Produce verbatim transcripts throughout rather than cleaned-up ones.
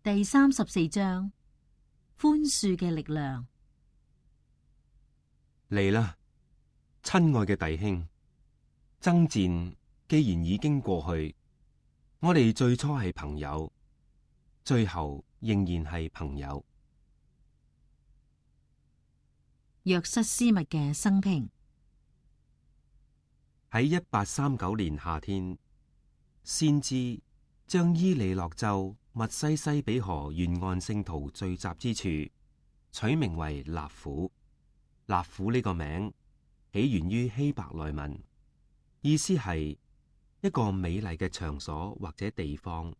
第三十四章，寬恕嘅力量。嚟啦，親愛嘅弟兄，爭戰既然已經過去，我哋最初係朋友，最後仍然係朋友。約瑟斯密嘅生平。喺一八三九年夏天，先知將伊利諾州密西西比河沿岸聖徒聚集之處取名為納府。納府呢個名起源於希伯來文，意思係一個美麗嘅場所或者地方，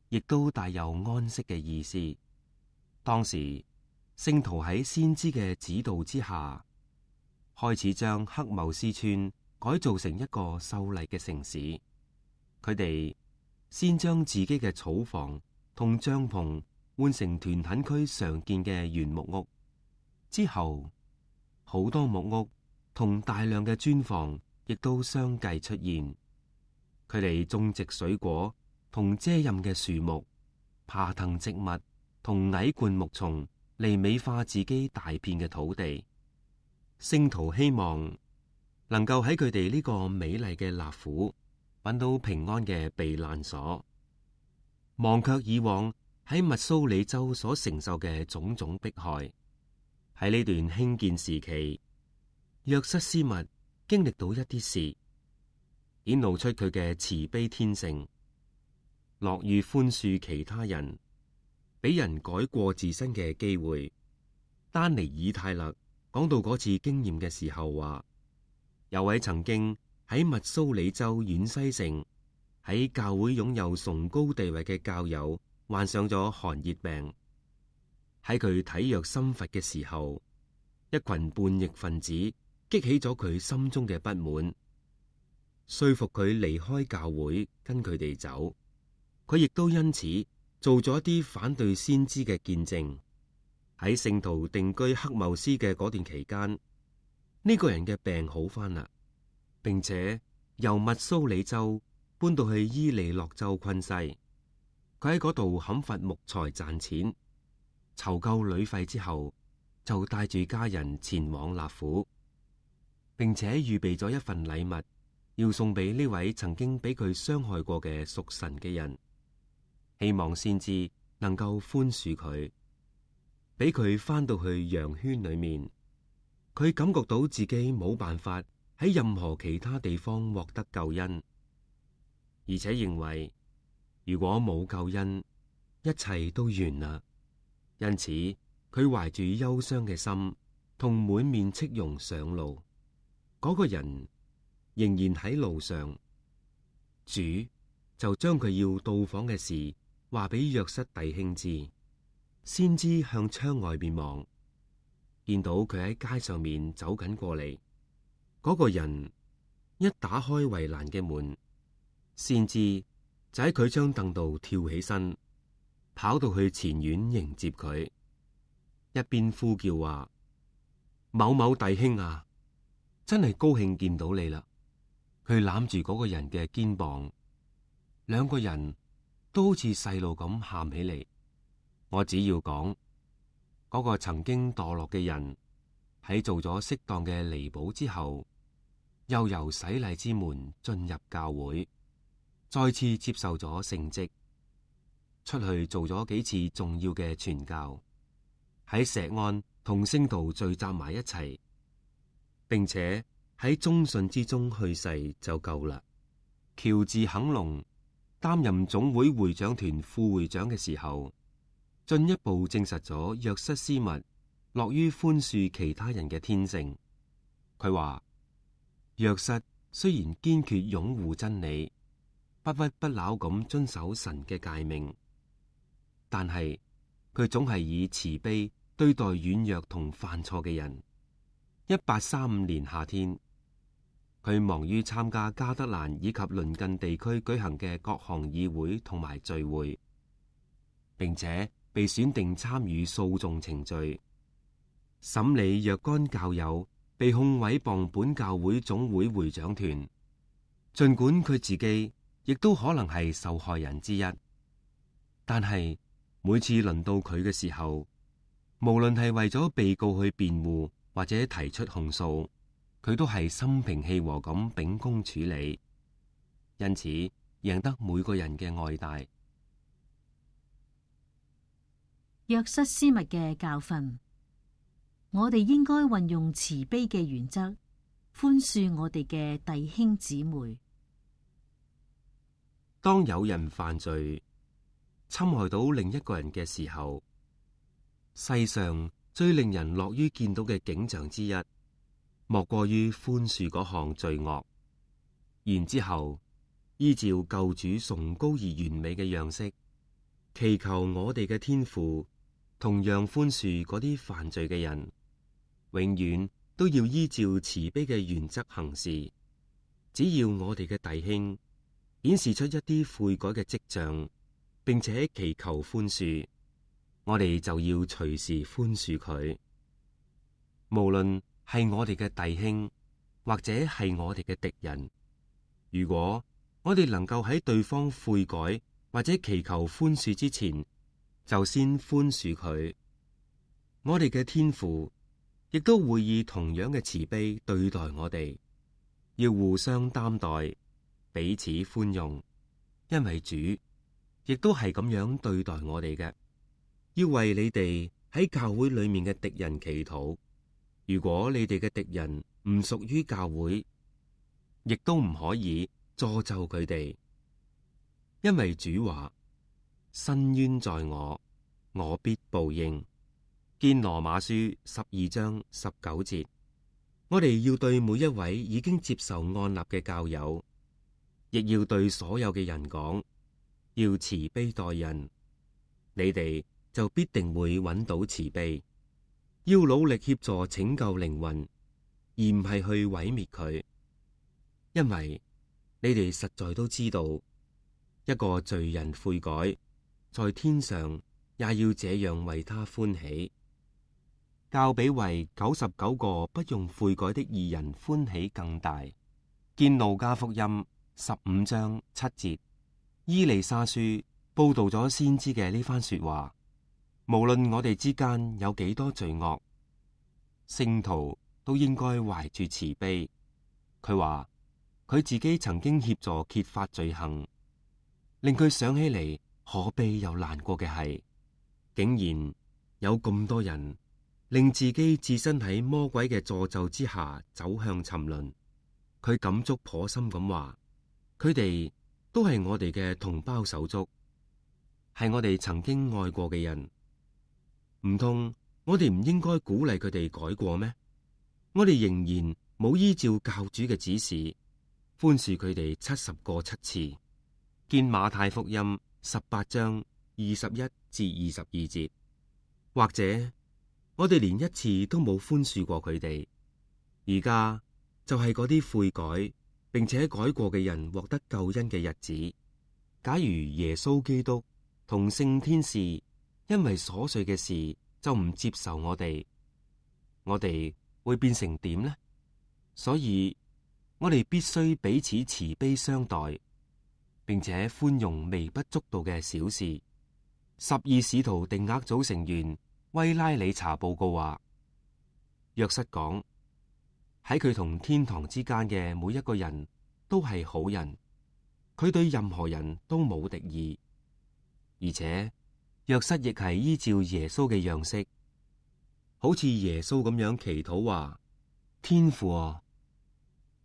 亦都帶有安息嘅意思。當時聖徒喺先知嘅指導之下，開始將黑茂斯村改造成一個秀麗嘅城市。佢哋先將自己嘅草房同帳篷換成屯墾區常見嘅原木屋，之後好多木屋同大量嘅磚房亦都相繼出現。佢哋種植水果同遮蔭嘅樹木、爬藤植物同矮灌木叢嚟美化自己大片嘅土地。聖徒希望能夠喺佢哋呢個美麗嘅納府揾到平安嘅避難所，忘卻以往喺密蘇里州所承受嘅種種迫害。喺呢段興建時期，約瑟斯密經歷到一啲事，顯露出佢嘅慈悲天性，樂於寬恕其他人，俾人改過自身嘅機會。丹尼爾泰勒講到嗰次經驗嘅時候話，有位曾經喺密蘇里州遠西城喺教會擁有崇高地位嘅教友患上咗寒熱病。喺佢體弱心乏嘅時候，一群叛逆分子激起咗佢心中嘅不滿，說服佢離開教會跟佢哋走。佢亦都因此做咗一啲反對先知嘅見證。喺聖徒定居黑茂斯嘅嗰段期間，呢個人嘅病好返啦，並且由密蘇里州搬到去伊利諾州昆西。佢喺嗰度砍伐木材賺錢，籌夠旅費之後，就帶住家人前往納府，並且預備咗一份禮物，要送俾呢位曾經俾佢傷害過嘅屬神嘅人，希望先知能夠寬恕佢，俾佢翻到去羊圈裏面。佢感覺到自己冇辦法喺任何其他地方獲得救恩，而且認為如果冇救恩，一切都完啦。因此，佢懷住憂傷嘅心，同滿面戚容上路。嗰個人仍然喺路上，主就將佢要到訪嘅事話俾約瑟弟兄知。先知向窗外邊望，見到佢喺街上面走緊過嚟。嗰個人一打開圍欄嘅門，先知就喺佢張凳度跳起身，跑到去前院迎接佢，一邊呼叫話：某某弟兄啊，真係高興見到你啦！佢攬住嗰個人嘅肩膀，兩個人都好似細路咁喊起嚟。我只要講，嗰個曾經墮落嘅人喺做咗適當嘅彌補之後，又由洗禮之門進入教會，再次接受咗聖職，出去做咗幾次重要嘅傳教，喺石安同聖徒聚集埋一齊，並且喺忠信之中去世就夠啦。喬治肯隆擔任總會會長團副會長嘅時候，進一步證實咗約瑟斯密樂於寬恕其他人嘅天性。佢話：約瑟雖然堅決擁護真理，不屈不撓咁遵守神嘅誡命，但係佢總係以慈悲對待軟弱同犯錯嘅人。一八三五年夏天，佢忙於參加加德蘭以及鄰近地區舉行嘅各項議會同埋聚會，並且被選定參與訴訟程序，審理若干教友被控毀謗本教會總會會長團。盡管佢自己亦都可能係受害人之一，但係每次輪到佢嘅時候，無論係為咗被告去辯護或者提出控訴，佢都係心平氣和咁秉公處理，因此贏得每個人嘅愛戴。約瑟斯密嘅教訓，我哋應該運用慈悲嘅原則，寬恕我哋嘅弟兄姊妹。當有人犯罪，侵害到另一個人嘅時候，世上最令人樂於見到嘅景象之一，莫過於寬恕嗰項罪惡，然之後依照救主崇高而完美嘅樣式，祈求我哋嘅天父同樣寬恕嗰啲犯罪嘅人，永遠都要依照慈悲嘅原則行事。只要我哋嘅弟兄顯示出一啲悔改嘅跡象，並且祈求寬恕，我哋就要隨時寬恕佢。無論係我哋嘅弟兄，或者係我哋嘅敵人，如果我哋能夠喺對方悔改或者祈求寬恕之前，就先寬恕佢，我哋嘅天父亦都會以同樣嘅慈悲對待我哋。要互相擔待，彼此寬容，因為主亦都係咁樣對待我哋嘅。要為你哋喺教會裏面嘅敵人祈禱。如果你哋嘅敵人唔屬於教會，亦都唔可以詛咒佢哋，因為主話：伸冤在我，我必報應。見羅馬書十二章十九節。我哋要對每一位已經接受按立嘅教友，亦要對所有嘅人講，要慈悲待人。你哋就必定會揾到慈悲。要努力協助拯救靈魂，而唔係去毀滅佢。因為你哋實在都知道，一個罪人悔改，在天上也要這樣為他歡喜，較比為九十九個不用悔改的義人歡喜更大。見路加福音十五章七節。伊麗莎書報道咗先知嘅呢番說話。無論我哋之間有幾多罪惡，聖徒都應該懷住慈悲。佢話佢自己曾經協助揭發罪行，令佢想起嚟可悲又難過嘅係，竟然有咁多人令自己置身喺魔鬼嘅詛咒之下，走向沉淪。佢感觸頗深咁話，佢哋都係我哋嘅同胞手足，係我哋曾經愛過嘅人。唔通我哋唔應該鼓勵佢哋改過咩？我哋仍然冇依照教主嘅指示寬恕佢哋七十個七次。見馬太福音十八章二十一至二十二節。或者我哋連一次都冇寬恕過佢哋，而家就係嗰啲悔改並且改過嘅人獲得救恩嘅日子。假如耶穌基督同聖天使因為瑣碎嘅事就唔接受我哋，我哋會變成點呢？所以我哋必須彼此慈悲相待，並且寬容微不足道嘅小事。十二使徒定額組成員威拉里查報告話，約瑟講，喺佢同天堂之間嘅每一個人都係好人，佢對任何人都冇敵意，而且約瑟亦係依照耶穌嘅樣式，好似耶穌咁樣祈禱話：天父啊，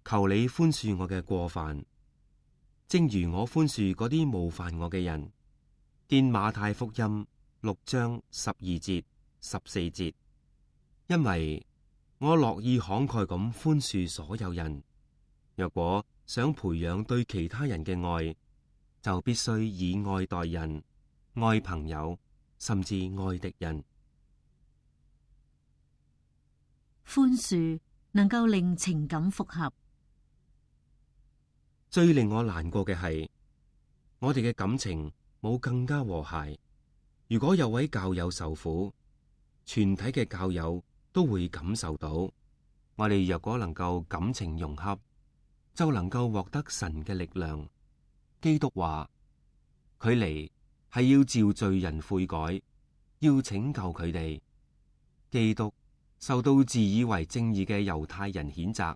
求你寬恕我嘅過犯，正如我寬恕嗰啲冒犯我嘅人。見馬太福音六章十二節、十四節。因為我樂意慷慨咁寬恕所有人。若果想培養對其他人嘅愛，就必須以愛待人，愛朋友，甚至愛敵人。寬恕能夠令情感復合。最令我難過嘅係，我哋嘅感情冇更加和諧。如果有位教友受苦，全體嘅教友都會感受到。我哋若果能夠感情融洽，就能夠獲得神嘅力量。基督話：佢嚟係要召罪人悔改，要拯救佢哋。基督受到自以為正義嘅猶太人譴責，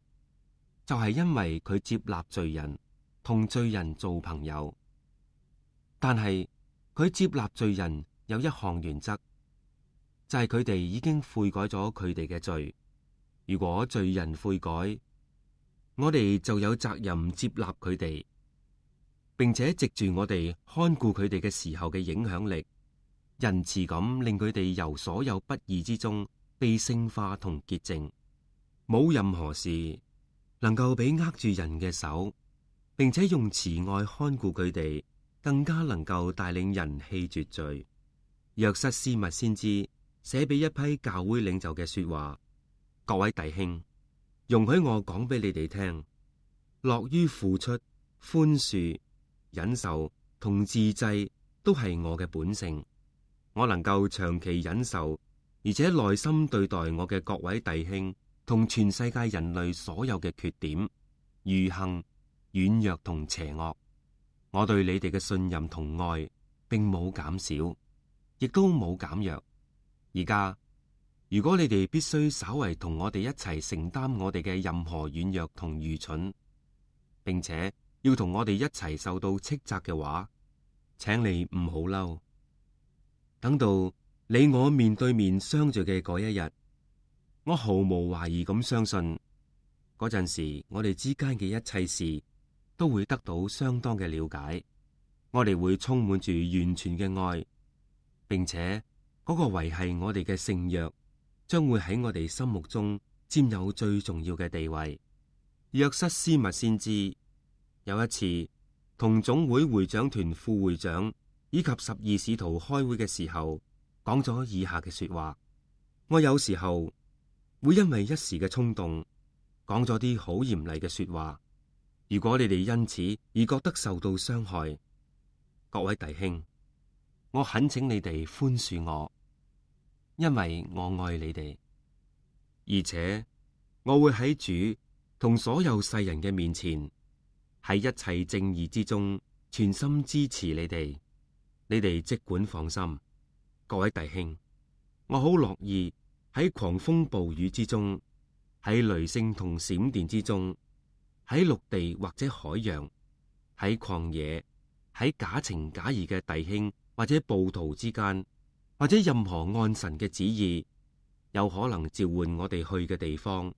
就係因為佢接納罪人，同罪人做朋友。但係佢接納罪人有一項原則，就係佢哋已經悔改咗佢哋嘅罪。如果罪人悔改，我哋就有責任接納佢哋，並且藉住我哋看顧佢哋嘅時候嘅影響力，仁慈咁令佢哋由所有不義之中被聖化同潔淨。冇任何事能夠比握住人嘅手，並且用慈愛看顧佢哋，更加能夠帶領人棄絕罪。約瑟斯密先知寫俾一批教會領袖嘅說話：各位弟兄，容許我講俾你哋聽，樂於付出、寬恕、忍受同自制都係我嘅本性。我能夠長期忍受，而且耐心對待我嘅各位弟兄同全世界人類所有嘅缺點、愚行、軟弱同邪惡。我對你哋嘅信任同愛並冇減少，亦都冇減弱。而家如果你哋必須稍為同我哋一齊承擔我哋嘅任何軟弱同愚蠢，並且要同我哋一齊受到斥責嘅話，請你唔好嬲。等到你我面對面相聚嘅嗰一日，我毫無懷疑咁相信，嗰陣時我哋之間嘅一切事都會得到相當嘅了解。我哋會充滿住完全嘅愛，並且嗰個維繫我哋嘅聖約將會喺我哋心目中佔有最重要嘅地位。約瑟斯密先知有一次同總會會長團副會長以及十二使徒開會嘅時候，講咗以下嘅說話：我有時候會因為一時嘅衝動講咗啲好嚴厲嘅說話，如果你哋因此而覺得受到傷害，各位弟兄，我懇請你哋寬恕我，因為我愛你哋，而且我會喺主同所有世人嘅面前，喺一切正義之中全心支持你哋。你哋即管放心，各位弟兄，我好樂意喺狂風暴雨之中，喺雷聲同閃電之中，喺陸地或者海洋，喺曠野，喺假情假意嘅弟兄或者暴徒之間，或者任何按神嘅旨意有可能召喚我哋去嘅地方，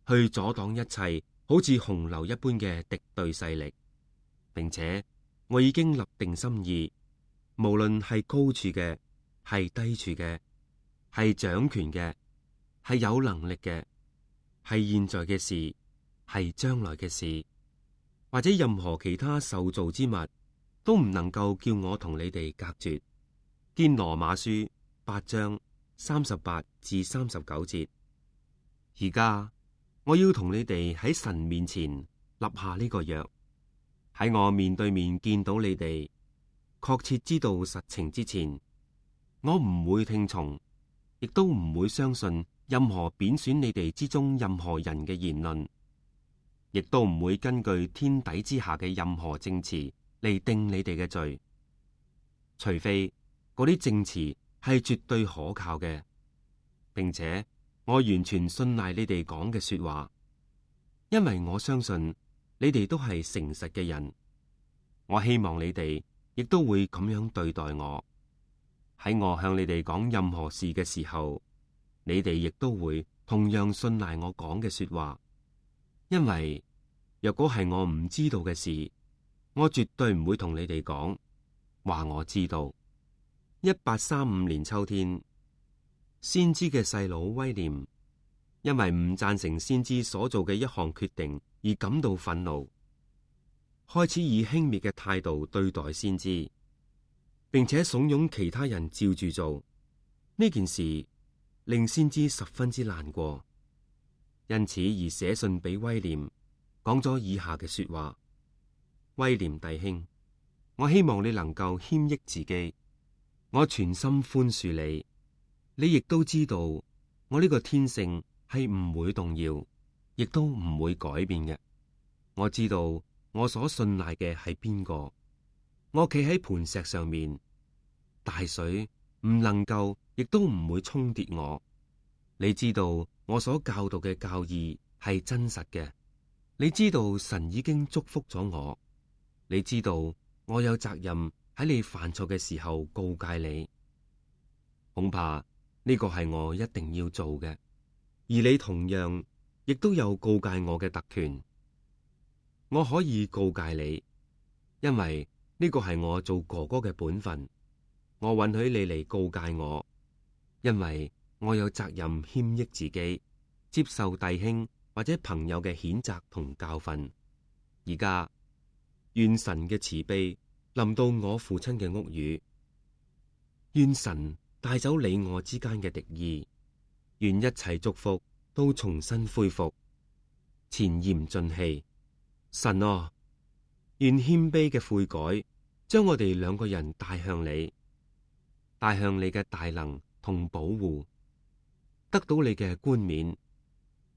去阻擋一切好似洪流一般嘅敵對勢力，並且我已經立定心意，無論係高處嘅，係低處嘅，係掌權嘅，係有能力嘅，係現在嘅事，係將來嘅事，或者任何其他受造之物，都唔能夠叫我同你哋隔絕。見羅馬書八章三十八至三十九節。而家我要同你哋喺神面前立下呢個約，喺我面對面見到你哋，確切知道實情之前，我唔會聽從，亦都唔會相信任何貶損你哋之中任何人嘅言論，亦都唔會根據天底之下嘅任何證詞嚟定你哋嘅罪，除非嗰啲證詞係絕對可靠嘅，並且我完全信賴你哋講嘅說話，因為我相信你哋都係誠實嘅人。我希望你哋亦都會咁樣對待我。喺我向你哋講任何事嘅時候，你哋亦都會同樣信賴我講嘅說話。因為若果係我唔知道嘅事，我絕對唔會同你哋講話我知道。一八三五年秋天，先知嘅細佬威廉因為唔贊成先知所做嘅一項決定而感到憤怒，開始以輕蔑嘅態度對待先知，並且慫恿其他人照住做。呢件事令先知十分之難過，因此而寫信俾威廉，講咗以下嘅說話：威廉弟兄，我希望你能夠謙抑自己，我全心寬恕你。你亦都知道我呢個天性係唔會動搖，亦都唔會改變嘅。我知道我所信賴嘅係邊個，我企喺磐石上面，大水唔能夠，亦都唔會沖跌我。你知道我所教導嘅教義係真實嘅。你知道神已經祝福咗我。你知道我有責任喺你犯錯嘅時候告誡你。恐怕呢個係我一定要做嘅，而你同樣亦都有告誡我嘅特權。我可以告誡你，因為呢個係我做哥哥嘅本分。我允許你嚟告誡我，因為我有責任謙抑自己，接受弟兄或者朋友嘅譴責同教訓。而家願神嘅慈悲臨到我父親嘅屋宇，願神帶走你我之間嘅敵意，願一切祝福都重新恢復，前言盡棄。神啊，願謙卑嘅悔改將我哋兩個人帶向你，帶向你嘅大能同保護，得到你嘅冠冕，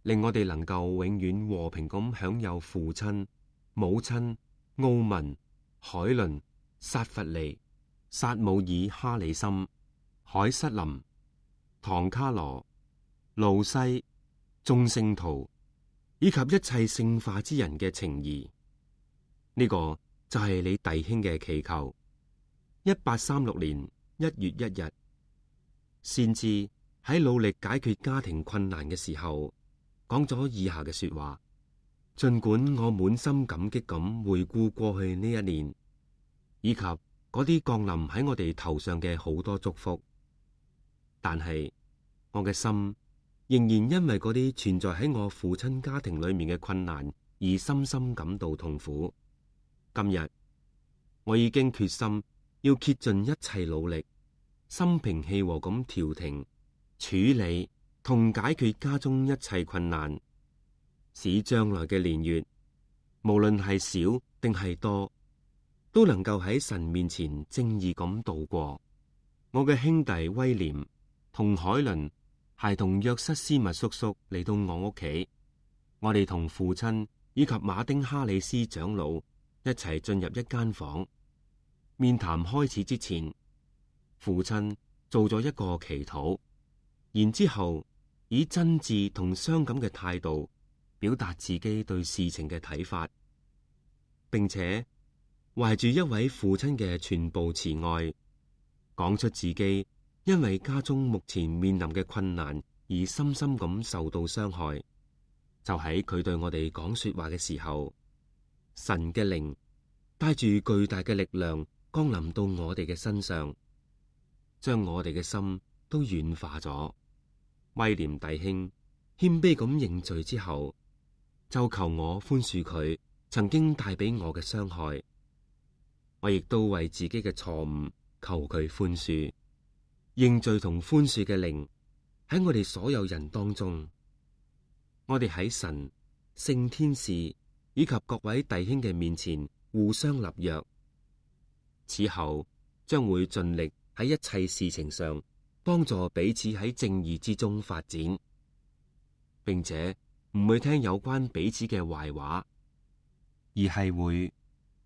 令我哋能夠永遠和平咁享有父親、母親、奧文、海倫、撒弗利、撒姆爾哈里森、海瑟琳、唐卡羅、路西、眾聖徒以及一切聖化之人嘅情誼。呢、這個就係你弟兄嘅祈求。一八三六年一月一日，先知喺努力解決家庭困難嘅時候，講咗以下嘅說話。盡管我滿心感激咁回顧過去呢一年，以及嗰啲降臨喺我哋頭上嘅好多祝福，但係我嘅心仍然因為嗰啲存在喺我父親家庭裏面嘅困難而深深感到痛苦。今日我已經決心要竭盡一切努力，心平氣和咁調停、處理同解決家中一切困難，使將來嘅年月，無論係少定係多，都能夠喺神面前正義咁度過。我嘅兄弟威廉同海倫係同約瑟斯密叔叔嚟到我屋企，我哋同父親以及馬丁哈里斯長老一齊進入一間房。面談開始之前，父親做咗一個祈禱，然之後以真摯同傷感嘅態度表達自己對事情嘅睇法，並且懷住一位父親嘅全部慈愛，講出自己因為家中目前面臨嘅困難而深深咁受到傷害。就喺佢對我哋講說話嘅時候，神嘅靈帶住巨大嘅力量降臨到我哋嘅身上，將我哋嘅心都軟化咗。威廉弟兄謙卑咁認罪之後，就求我寬恕佢曾經帶俾我嘅傷害。我亦都為自己嘅錯誤求佢寬恕。認罪同寬恕嘅靈喺我哋所有人當中，我哋喺神、聖天使以及各位弟兄嘅面前互相立約，此後將會盡力喺一切事情上幫助彼此喺正義之中發展，並且唔會聽有關彼此嘅壞話，而係會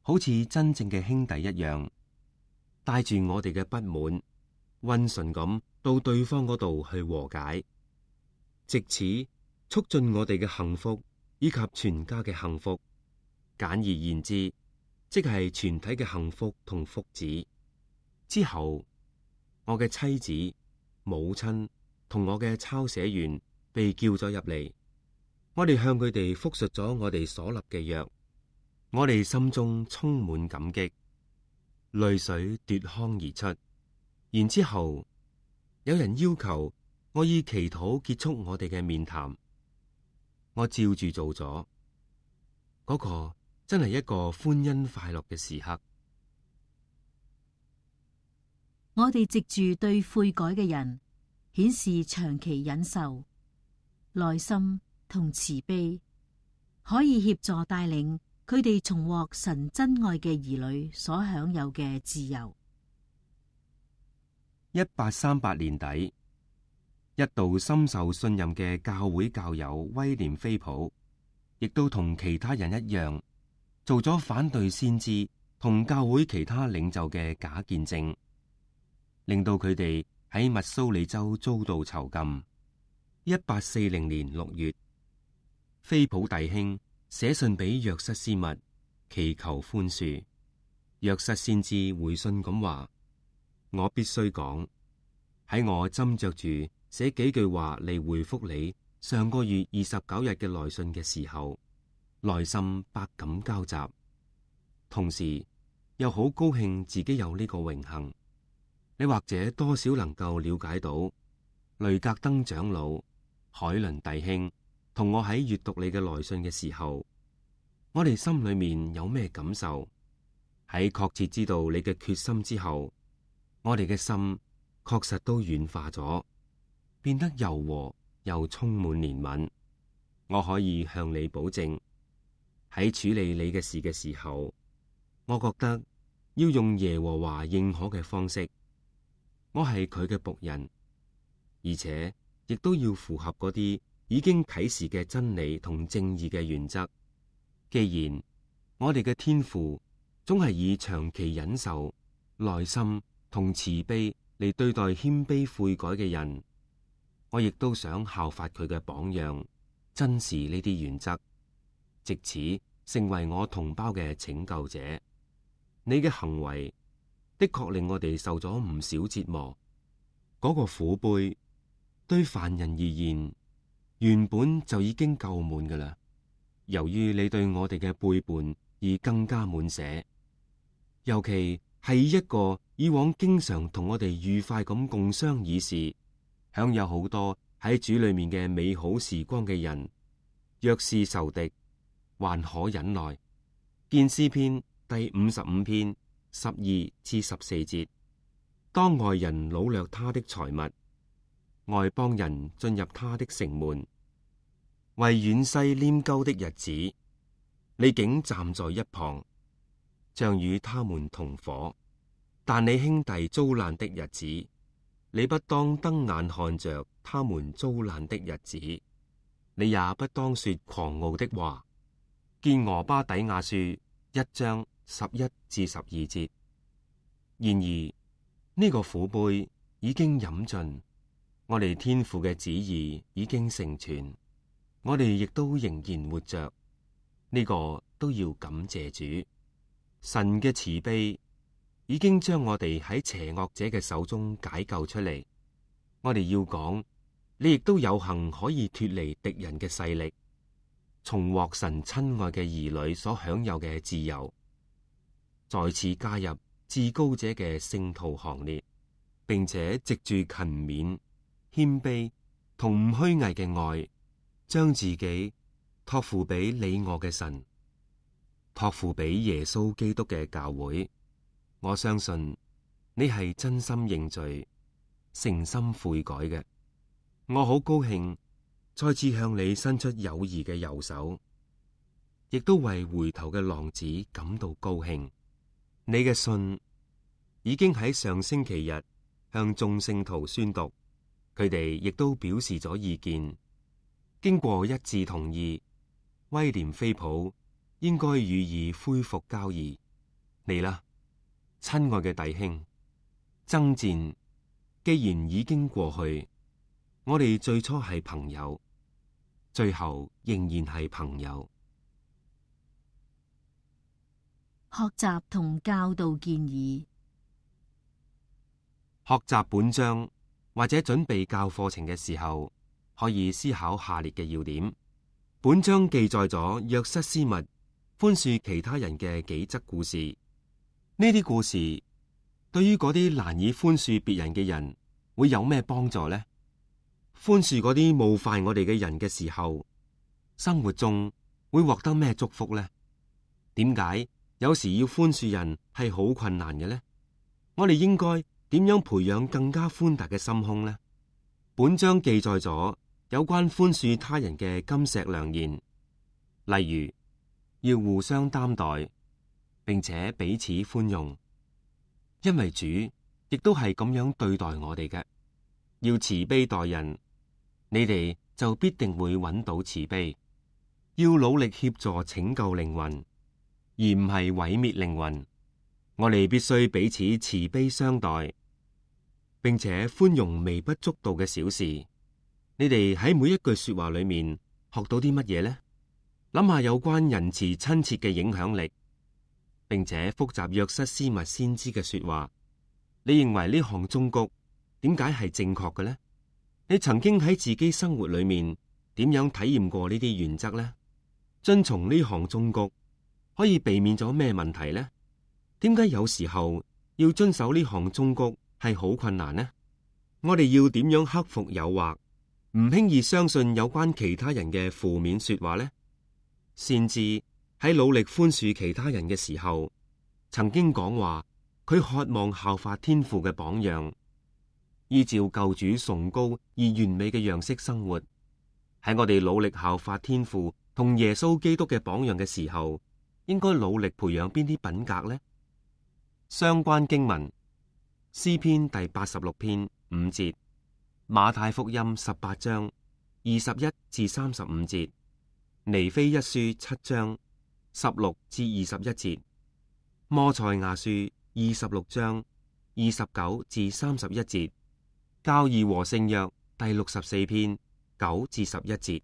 好似真正嘅兄弟一樣，帶住我哋嘅不滿，溫順咁到對方嗰度去和解，藉此促進我哋嘅幸福以及全家嘅幸福。簡而言之，即係全體嘅幸福同福祉。之後，我嘅妻子、母親同我嘅抄寫員被叫咗入嚟，我哋向佢哋複述咗我哋所立嘅約，我哋心中充滿感激，淚水奪眶而出。然之後，有人要求我以祈禱結束我哋嘅面談，我照住做咗。嗰個真係一個歡欣快樂嘅時刻。我哋藉住對悔改嘅人顯示長期忍受、耐心同慈悲，可以協助帶領佢哋重獲神真愛嘅兒女所享有嘅自由。一八三八年底，一度深受信任嘅教會教友威廉菲普，亦都同其他人一樣，做咗反對先知同教會其他領袖嘅假見證。令到佢哋喺密蘇里州遭到囚禁。一八四零年六月，菲普弟兄寫信俾約瑟斯密，祈求寬恕。約瑟先知回信咁話：我必須講，喺我斟酌住寫幾句話嚟回覆你上個月二十九日嘅來信嘅時候，內心百感交集，同時又好高興自己有呢個榮幸。你或者多少能夠了解到雷格登長老、海倫弟兄同我喺閱讀你嘅來信嘅時候，我哋心裏面有咩感受？喺確切知道你嘅決心之後，我哋嘅心確實都軟化咗，變得柔和又充滿憐憫。我可以向你保證，喺處理你嘅事嘅時候，我覺得要用耶和華認可嘅方式。我係佢嘅僕人，而且亦都要符合嗰啲已經啟示嘅真理同正義嘅原則。既然我哋嘅天父總係以長期忍受、耐心同慈悲嚟對待謙卑悔改嘅人，我亦都想效法佢嘅榜樣，珍視呢啲原則，藉此成為我同胞嘅拯救者。你嘅行為的確令我哋受咗唔少折磨，嗰個苦杯對凡人而言原本就已經夠滿噶啦。由於你對我哋嘅背叛而更加滿瀉，尤其係一個以往經常同我哋愉快咁共商議事，享有好多喺主裏面嘅美好時光嘅人，若是仇敵，還可忍耐。見詩篇第五十五篇十二至十四節，當外人擄掠他的財物，外邦人進入他的城門，為遠西拈鬮的日子，你竟站在一旁，像與他們同伙。但你兄弟遭難的日子，你不當瞪眼看着他們遭難的日子，你也不當說狂傲的話。見俄巴底亞書一章十一至十二節。然而呢、這個苦杯已經飲盡，我哋天父嘅旨意已經成全，我哋亦都仍然活着，呢、這個都要感謝主。神嘅慈悲已經將我哋喺邪惡者嘅手中解救出嚟。我哋要講，你亦都有幸可以脫離敵人嘅勢力，重獲神親愛嘅兒女所享有嘅自由，再次加入至高者嘅聖徒行列，並且藉住勤勉、謙卑同唔虛偽嘅愛，將自己託付俾你我嘅神，託付俾耶穌基督嘅教會。我相信你係真心認罪、誠心悔改嘅。我好高興再次向你伸出友誼嘅右手，亦都為回頭嘅浪子感到高興。你嘅信已經喺上星期日向眾聖徒宣讀，佢哋亦都表示咗意見。經過一致同意，威廉菲普應該予以恢復交易。你啦，親愛嘅弟兄，爭戰既然已經過去，我哋最初係朋友，最後仍然係朋友。學習同教導建議。學習本章或者準備教課程嘅時候，可以思考下列嘅要點。本章記載咗約瑟斯密寬恕其他人嘅幾則故事。呢啲故事對於嗰啲難以寬恕別人嘅人會有咩幫助呢？寬恕嗰啲冒犯我哋嘅人嘅時候，生活中會獲得咩祝福呢？點解有時要寬恕人係好困難嘅呢？我哋應該點樣培養更加寬大嘅心胸呢？本章記載咗有關寬恕他人嘅金石良言，例如要互相擔待，並且彼此寬容，因為主亦都係咁樣對待我哋嘅。要慈悲待人，你哋就必定會揾到慈悲。要努力協助拯救靈魂，而唔係毀滅靈魂。我哋必須彼此慈悲相待。並且寬容微不足道嘅小事。你哋喺每一句說話裏面學到啲乜嘢呢？諗下有關仁慈親切嘅影響力，並且複習約瑟斯密先知嘅說話。你認為呢項忠告點解係正確嘅呢？你曾經喺自己生活裏面點樣體驗過呢啲原則呢？遵從呢項忠告可以避免咗咩問題呢？點解有時候要遵守呢項忠告係好困難呢？我哋要點樣克服誘惑，唔輕易相信有關其他人嘅負面說話呢？先知喺努力寬恕其他人嘅時候，曾經講話佢渴望效法天父嘅榜樣，依照救主崇高而完美嘅樣式生活。喺我哋努力效法天父同耶穌基督嘅榜樣嘅時候，應該努力培養邊啲品格呢？相關經文：詩篇第八十六篇五節，馬太福音十八章二十一至三十五節，尼非一書七章十六至二十一節，摩賽亞書二十六章二十九至三十一節，教義和聖約第六十四篇九至十一節。